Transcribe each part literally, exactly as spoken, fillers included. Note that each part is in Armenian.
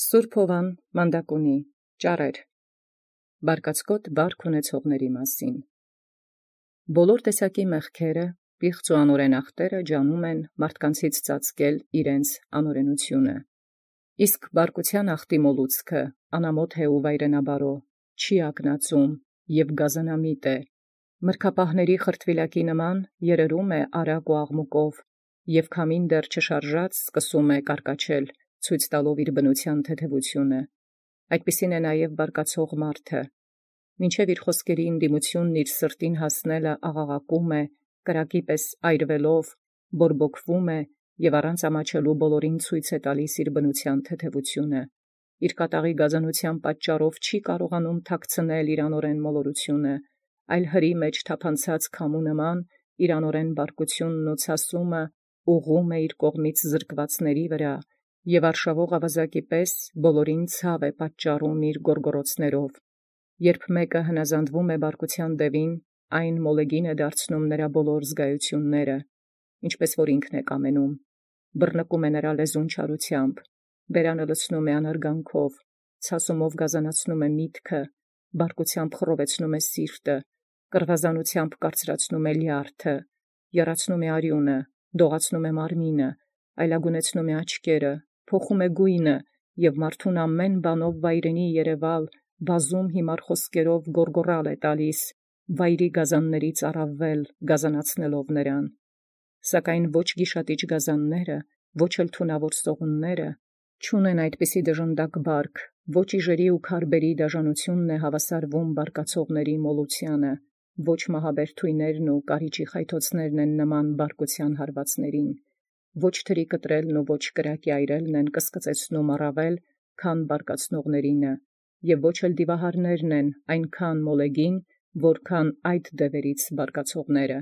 Սուրբ Հովան Մանդակունի ճառեր բարկացկոտ բարք ունեցողների մասին։ Բոլոր տեսակի մեղքերը, պիղծ ու անօրեն ախտերը ջանում են մարդկանցից ծածկել իրենց անօրենությունը։ Իսկ բարկության ախտի մոլուցքը անամոթ է ու վայրենաբարո, չի ակնածում և գազանամիտ է, մրգապահների խրտվիլակի նման երերում է արագ ու աղմուկով, և քամին դեռ չշարժած սկսում է կարկաչել, ցույց տալով իր բնության թեթևությունը։ Այդպիսին է նաև բարկացող մարդը, մինչև իր խոսքերի ընդդիմությունն իր սրտին հասնելը աղաղակում է, կրակի պես այրվելով, բորբոքվում է և առանց ամաչելու բոլորին ցույց է տալիս իր բնության թեթևությունը։ Իր կատաղի գազանության պատճառով չի կարողանում թաքցնել իր անօրեն մոլորությունը, այլ հրի մեջ թափանցած քամու նման իր անօրեն բարկությունն ու ցասումը ուղղում է իր կողմից զրկվածների վրա, և արշավող ավազակի պես բոլորին ցավ է պատճառում իր գոռգոռոցներով։ Երբ մեկը հնազանդվում է բարկության դևին, այն մոլեգին է դարձնում նրա բոլոր զգայությունները, ինչպես որ ինքն է կամենում, բռնկում է նրա լեզուն չարությամբ, բերանը լցնում է անարգանքով, ցասումով գազանացնում է միտքը, բարկությամբ խռովեցնում է սիրտը, կռվազանությամբ կարծրացնում է լյարդը, եռացնում է արյունը, դողացնում է մարմինը, այլագունեցնում է աչքերը, փոխում է գույնը և մարդուն ամեն բանով վայրենի երևալ, բազում հիմար խոսքերով գոռգոռալ է տալիս, վայրի գազաններից առավել գազանացնելով նրան։ Սակայն ոչ գիշատիչ գազանները, ոչ էլ թունավոր սողունները չունեն այդպիսի դժնդակ բարք, ոչ իժերի ու քարբերի դաժանությունն է հավասարվում բարկացողների մոլությանը, ոչ մահաբեր թույներն ու կարիճի խայթոցներն են նման բարկության հարվածներին, ոչ թրի կտրելն ու ոչ կրակի այրելն են կսկծեցնում առավել, քան բարկացնողներինը, և ոչ էլ դիվահարներն են այնքան մոլեգին, որքան այդ դևերից բարկացողները։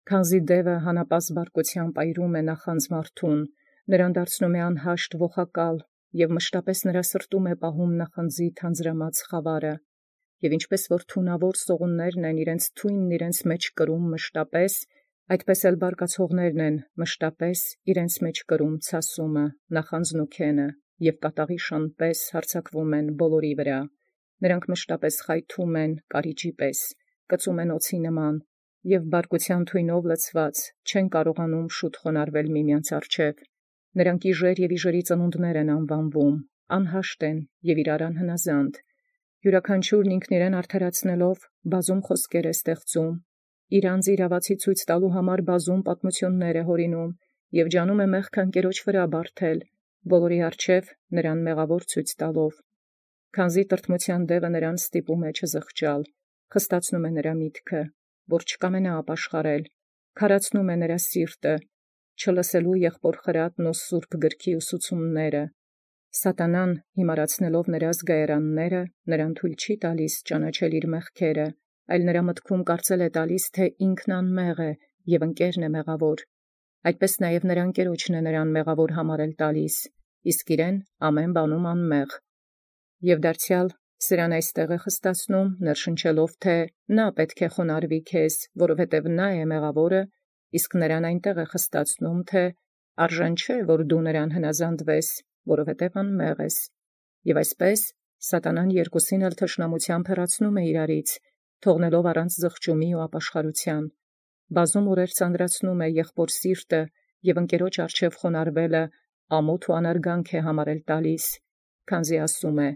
Քանզի դևը հանապազտ բարկությամբ այրում է նախանձ մարդուն, նրան դարձնում է անհաշտ ողակալ և մշտապես նրա սրտում է պահում նախանձի թանձրամած խավարը, և ինչպես որ թունավոր սողուններն են իրենց թույնն իրենց մեջ կրում մշտապես, այդպես էլ բարկացողներն են մշտապես իրենց մեջ կրում ցասումը, նախանձն ու քենը, և կատաղի շան պես հարձակվում են բոլորի վրա, նրանք մշտապես խայթում են կարիճի պես, կծում են օձի նման, և բարկության թույնով լցված չեն կարողանում շուտ խոնարհվել միմյանց առջև, նրանք իժեր և իժերի ծնունդներ են անվանվում, անհաշտ են և իրար անհնազանդ, յուրաքանչյուրն ինքն իրեն արդարացնելով բազում խոսքեր է ստեղծում, իր անձի իրավացի ցույց տալու համար բազում պատմություններ է հորինում և ջանում է մեղքը ընկերոջ վրա բարդել, բոլորի առջև նրան մեղավոր ցույց տալով։ Քանզի տրտմության դևը նրան ստիպում է չզղջալ, խստացնում է նրա միտքը, որ չկամենա ապաշխարել, քարացնում է նրա սիրտը, չլսելու եղբոր խրատն ու սուրբ գրքի ուսուցումները։ Սատանան, հիմարացնելով նրա զգայարանները, նրան թույլ չի տալիս ճանաչել իր մեղքերը, այլ նրա մտքում կարծել է տալիս, թե ինքն անմեղ է և ընկերն է մեղավոր, այդպես նաև նրա ընկերոջն է նրան մեղավոր համարել տալիս, իսկ իրեն ամեն բանում անմեղ։ Եվ դարձյալ սրան այստեղ է խստացնում, ներշնչելով, թե նա պետք է խոնարհվի քեզ, որովհետև նա է մեղավորը, իսկ նրան այնտեղ է խստացնում, թե արժան չէ, որ դու նրան հնազանդվես, որովհետև անմեղ ես։ Եվ այսպես սատանան երկուսին էլ թշնամությամբ հեռացնում է իրարից, թողնելով առանց զղջումի ու ապաշխարության, բազում օրեր ծանրացնում է եղբոր սիրտը և ընկերոջ առջև խոնարհվելը ամոթ ու անարգանք է համարել տալիս, քանզի ասում է.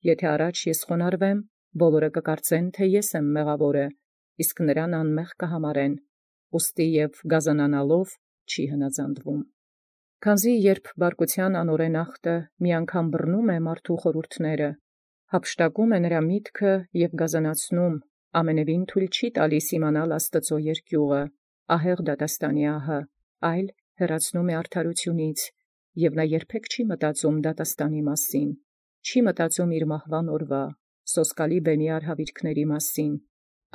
«Եթե առաջ ես խոնարհվեմ, բոլորը կկարծեն, թե ես եմ մեղավորը, իսկ նրան անմեղ կհամարեն, ուստի և գազանանալով չի հնազանդվում»։ Քանզի երբ բարկության անօրեն ախտը մի անգամ բռնում է մարդու խորհուրդները, հափշտակում է նրա միտքը և գազանացնում, ամենևին թույլ չի տալիս իմանալ Աստծո երկյուղը, ահեղ դատաստանի ահը, այլ հեռացնում է արդարությունից, և նա երբեք չի մտածում դատաստանի մասին, չի մտածում իր մահվան օրվա, սոսկալի բեմի արհավիրքների մասին,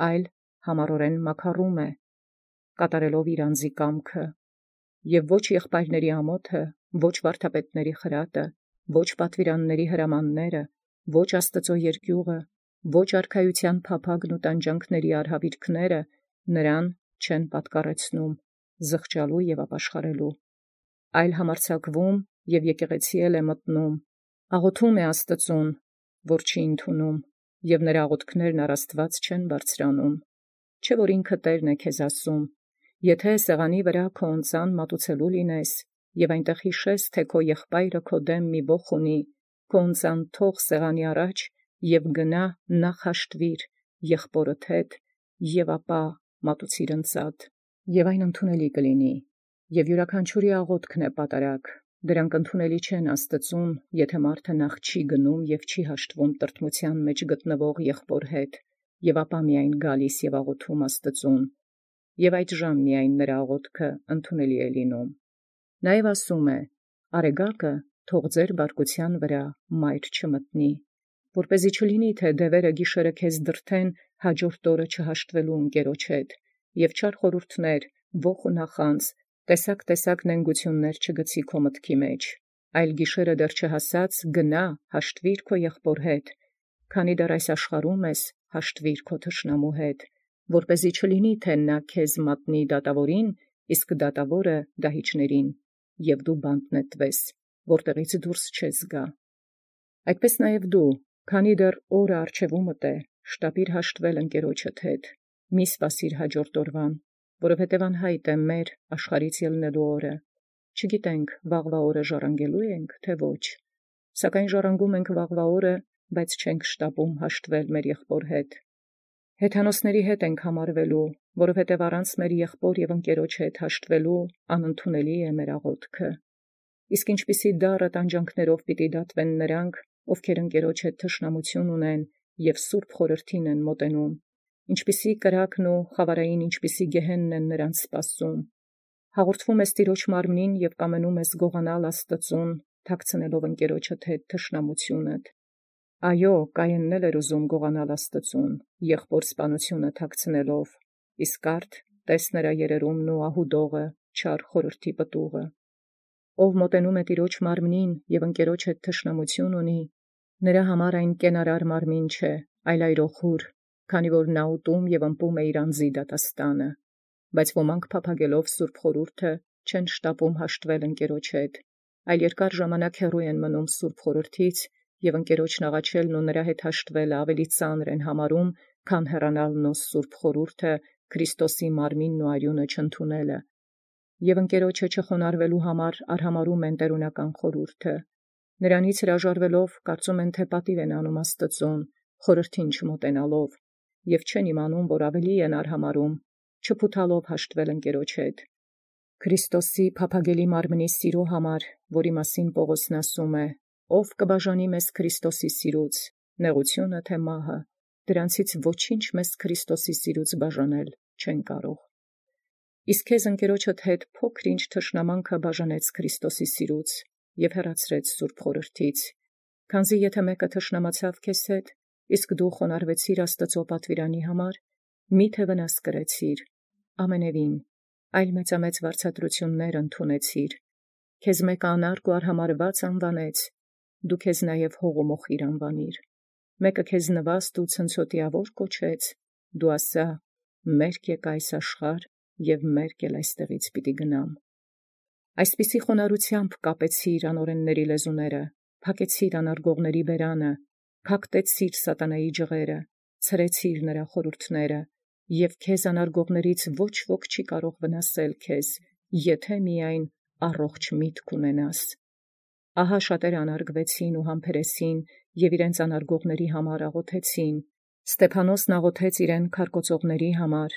այլ համառորեն մաքարում է, կատարելով իր անձի կամքը, և ոչ եղբայրների ամոթը, ոչ վարդապետների խրատը, ոչ պատվիրանների հրամանները, ոչ Աստծո երկյուղը, ոչ արքայության փափագն ու տանջանքների արհավիրքները նրան չեն պատկառեցնում զղջալու և ապաշխարելու, այլ համարձակվում և եկեղեցի էլ է մտնում, Աղոթում է Աստծուն, որ չի ընդունում, և նրա աղոթքներն առ Աստուած չեն բարձրանում։ Չէ որ ինքը Տերն է քեզ ասում. եթե սեղանի վրա քո ընծան մատուցելու լինես, և այնտեղ հիշես, թե քո եղբայրը քո դեմ մի ոխ ունի, քո ընծան թող սեղանի առաջ, և գնա նախ հաշտվիր եղբորդ հետ, և ապա մատուցիր ընծատ, և այն ընդունելի կլինի, և յուրաքանչյուրի աղոթքն է պատարագ, դրանք ընդունելի չեն Աստծուն, եթե մարդը նախ չի գնում և չի հաշտվում տրտմության մեջ գտնվող եղբոր հետ, և ապա միայն գալիս և աղոթում Աստծուն, և այդժամ միայն նրա աղոթքը ընդունելի է լինում։ Նաև ասում է. «Արեգակը թող ձեր բարկության վրա մայր չմտնի, որպեսզի չլինի, թե դևերը գիշերը քեզ դրդեն հաջորդ օրը չհաշտվելու ընկերոջ հետ, և չար խորհուրդներ, ոխ ու նախանձ, տեսակ-տեսակ նենգություններ չգցի քո մտքի մեջ, այլ գիշերը դեռ չհասած գնա հաշտվիր քո եղբոր հետ, քանի դեռ այս աշխարհում ես, հաշտվիր քո թշնամու հետ, որպեսզի չլինի, թե նա քեզ մատնի դատավորին, իսկ դատավորը դահիճներին, և դու բանտ նետվես, որտեղից դուրս չես գա։ Այդպես նաև դու, քանի դեռ օրը առջևումդ է, շտապիր հաշտվել ընկերոջդ հետ, մի սպասիր հաջորդ օրվան, որովհետև անհայտ է մեր աշխարհից ելնելու օրը, չգիտենք վաղվա օրը ժառանգելու ենք, թե ոչ, սակայն ժառանգում ենք վաղվա օրը, բայց չենք շտապում հաշտվել մեր եղբոր հետ։ Հեթանոսների հետ ենք համարվելու, որովհետև առանց մեր եղբոր և ընկերոջ հետ հաշտվելու անընդունելի է մեր աղոթքը։ Իսկ ինչպիսի դառը տանջանքներով պիտի դատվեն նրանք, ովքեր ընկերոջ հետ թշնամություն ունեն և սուրբ խորհրդին են մոտենում, ինչպիսի կրակն ու խավարային ինչպիսի գեհենն են նրանց սպասում։ Հաղորդվում ես Տիրոջ մարմնին և կամենում ես գողանալ Աստծուն, թաքցնելով ընկերոջդ հետ թշնամությունդ։ Այո, Կայենն էր ուզում գողանալ Աստծուն, եղբոր սպանությունը թաքցնելով, իսկ արդ տես նրա երերումն ու ահուդողը, չար խորհրդի պտուղը։ Ով մոտենում է Տիրոջ մարմնին և ընկերոջ հետ թշնամություն ունի, նրա համար այն կենարար մարմին չէ, այլ այրոխուր, քանի որ նա ուտում և ըմպում է իր անձի դատաստանը։ Բայց ոմանք փափագելով սուրբ խորհուրդը չեն շտապում հաշտվել ընկերոջ հետ, այլ երկար ժամանակ հեռու են մնում սուրբ խորհրդից, և ընկերոջն աղաչելն ու նրա հետ հաշտվելը ավելի ծանր են համարում, քան հեռանալ նո սուրբ խորհուրդը, Քրիստոսի մարմինն ու արյունը չընդունելը, և ընկերոջը չխոնարհվելու համար արհամարհում են տերունական խորհուրդը։ Նրանից հրաժարվելով կարծում են, թե պատիվ են անում Աստծուն, խորհրդին չմոտենալով, և չեն իմանում, որ ավելի են արհամարհում, չփութալով հաշտվել ընկերոջ հետ։ Քրիստոսի փափագելի մարմնի սիրո համար, որի մասին Պողոսն ասում է. «Ով կբաժանի մեզ Քրիստոսի սիրուց, նեղությունը թե մահը, դրանցից ոչինչ մեզ Քրիստոսի սիրուց բաժանել չեն կարող»։ Իսկ քեզ ընկերոջդ հետ փոքր-ինչ թշնամանքը բաժանեց Քրիստոսի սիրուց և հեռացրեց սուրբ խորհրդից, քանզի եթե մեկը թշնամացավ քեզ հետ, իսկ դու խոնարհվեցիր Աստծո պատվիրանի համար, մի՞թե վնաս կրեցիր, ամենևին, այլ մեծամեծ վարձատրություններ ընդունեցիր, քեզ մեկը անարգ ու արհամարհված անվանեց, դու քեզ նաև հող ու մոխիր անվանիր, մեկը քեզ նվաստ ու ցնցոտիավոր կոչեց, դու ասա. «Մերկ եկա այս աշխարհ, և մերկ էլ այստեղից պիտի գնամ»։ Այսպիսի խոնարհությամբ կապեցիր անօրենների լեզուները, փակեցիր անարգողների բերանը, փակտեցիր սատանայի ջղերը, ցրեցիր նրա խորհուրդները, և քեզ անարգողներից ոչ ոք չի կարող վնասել քեզ, եթե միայն առողջ միտք ունենաս։ Ահա շատերը անարգվեցին ու համբերեցին և իրենց անարգողների համար աղոթեցին։ Ստեփանոսն աղոթեց իրեն քարկոծողների համար,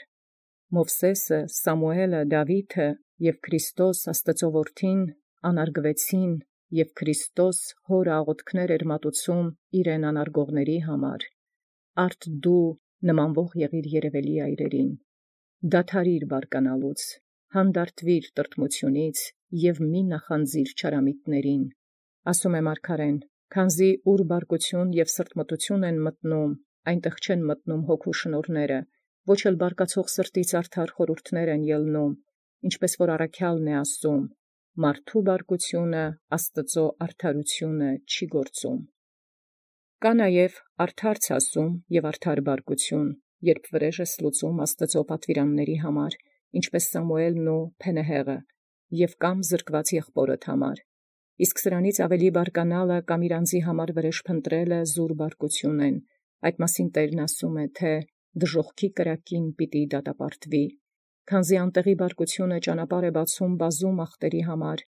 Մովսեսը, Սամուելը, Դավիթը և Քրիստոս Աստծո որդին անարգվեցին, և Քրիստոս հոր աղոթքներ էր մատուցում իրեն անարգողների համար։ Արդ դու նմանվող եղիր երևելի այրերին, դադարիր բարկանալուց, հանդարտվիր տրտմությունից և մի նախանձիր չարամիտներին, ասում է մարգարեն, քանզի ուր բարկություն և սրտմտություն են մտնում, այնտեղ չեն մտնում հոգու շնորհները, ոչ էլ բարկացող սրտից արդար խորհուրդներ են ելնում, ինչպես որ առաքյալն է ասում. մարդու բարկությունը Աստծո արդարությունը չի գործում։ Կա նաև արդար ցասում և արդար բարկություն, երբ վրեժ ես լուծում Աստծո պատվիրանների համար, ինչպես Սամուելն ու Փենեհեղը, և կամ զրկված եղբորդ համար, իսկ սրանից ավելի բարկանալը կամ իր անձի համար վրեժ փնտրելը զուր բարկություն են։ Այդ մասին Տերն ասում է, թե դժոխքի կրակին պիտի դատապարտվի, քանզի անտեղի բարկությունը ճանապարհ է բացում բազում ախտերի համար,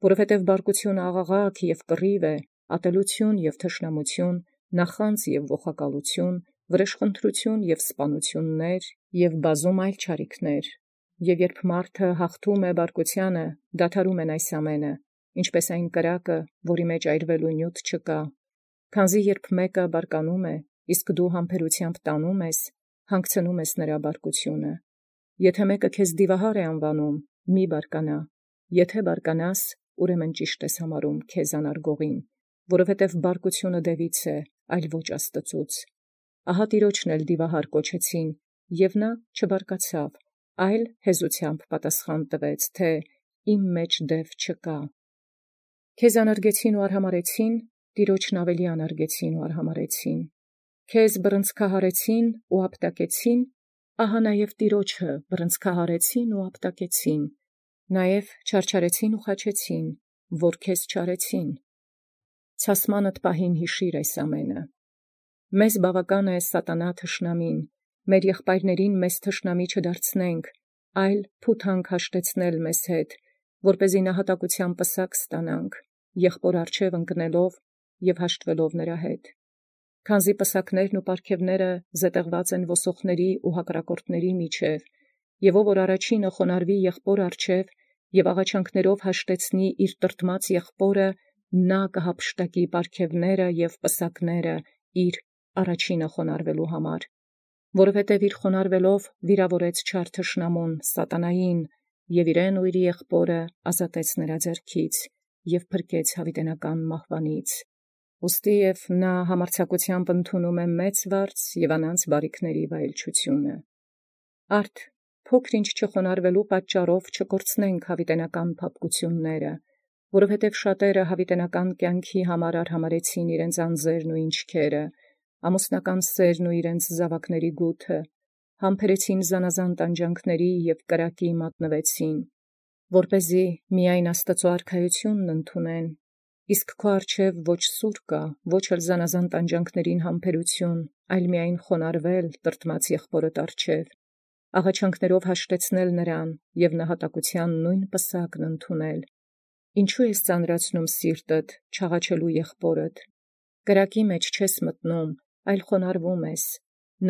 որովհետև բարկությունը աղաղակ և կռիվ է, ատելություն և թշնամություն, նախանձ և ողակալություն, վրեժխնդրություն և սպանություններ և բազում այլ չարիքներ։ Եւ երբ մարդը հաղթում է բարկությանը, դադարում են այս ամենը, ինչպես այն կրակը, որի մեջ այրվելու նյութ չկա, քանզի երբ մեկը բարկանում է, իսկ դու համբերութեամբ տանում ես, հանգցնում ես նրա բարկությունը։ Եթե մեկը քեզ դիվահար է անվանում, մի բարկանա, եթե բարկանաս, ուրեմն ճիշտ ես համարում քեզ անարգողին, որովհետև բարկությունը դևից է, այլ ոչ Աստծուց։ Ահա տիրոջն էլ դիվահար կոչեցին, և նա չբարկացավ, այլ հեզությամբ պատասխան տվեց, թե իմ մեջ դև չկա։ Քեզ անարգեցին ու արհամարեցին, տիրոջն ավելի անարգեցին ու արհամարեցին։ Քեզ բռնցքահարեցին ու ապտակեցին, ահա նաև տիրոջը բռնցքահարեցին ու ապտակեցին, նաև չարչարեցին ու խաչեցին, որ քեզ չարեցին։ Ցասմանդ պահին հիշիր այս ամենը։ Մեզ բավական է սատանա թշնամին, մեր եղբայրներին մեզ թշնամի չդարձնենք, այլ փութանք հաշտեցնել մեզ հետ, որպեսզի նահատակության պսակ ստանանք, եղբոր առջև ընկնելով և հաշտվելով նրա հետ։ Քանզի պսակներն ու պարգևները զետեղված են ոսոխների ու հակառակորդների միջև, և ով որ առաջինը խոնարհվի եղբոր առջև և աղաչանքներով հաշտեցնի իր տրտմած եղբորը, նա կհափշտակի պարգևները և պսակները իր առաջինը խոնարհվելու համար, որովհետև իր խոնարհվելով վիրավորեց չար թշնամուն սատանային և իրեն ու իր եղբորը ազատեց նրա ձեռքից և փրկեց յաւիտենական մահվանից։ Ուստի և նա համարձակությամբ ընդունում է մեծ վարձ և անանց բարիքների վայելչությունը։ Արդ փոքր ինչ չխոնարհվելու պատճառով չկորցնենք յաւիտենական փափկությունները, որովհետև շատերը յաւիտենական կյանքի համար արհամարեցին իրենց անձերն ու ինչքերը, ամուսնական սերն ու իրենց զաւակների գութը, համբերեցին զանազան տանջանքների և կրակի մատնվեցին, որպեսզի միայն Աստուծոյ արքայությունն ընդունեն, իսկ քո առջև ոչ սուր կա, ոչ էլ զանազան տանջանքներին համբերություն, այլ միայն խոնարհվել տրտմած եղբորդ առջև, աղաչանքներով հաշտեցնել նրան և նահատակության նույն պսակն ընդունել։ Ինչու ես ծանրացնում սիրտդ, չաղաչելու եղբորդ։ Կրակի մեջ չես մտնում, այլ խոնարհվում ես։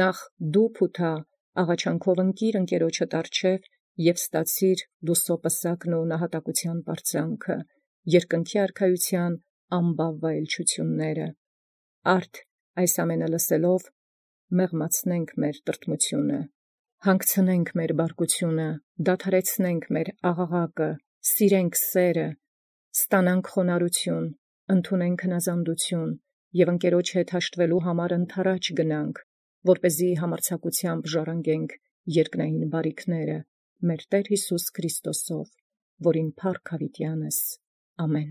Նախ դու փութա, աղաչանքով ընկիր ընկերոջդ առջև և ստացիր լուսո պսակն ու նահատակության պարծանքը, երկնքի արքայության ամբավ վայելչությունները։ Արդ այս ամենը լսելով մեղմացնենք մեր տրտմությունը, հանգցնենք մեր բարկությունը, դադարեցնենք մեր աղաղակը, սիրենք սերը, ստանանք խոնարհություն, ընդունենք հնազանդություն և ընկերոջ հետ հաշտվելու համար ընդառաջ գնանք, որպեսզի համարձակությամբ ժառանգենք երկնային բարիքները մեր Տեր Յիսուս Քրիստոսով, որին փառք յաւիտյանս։ Ամեն։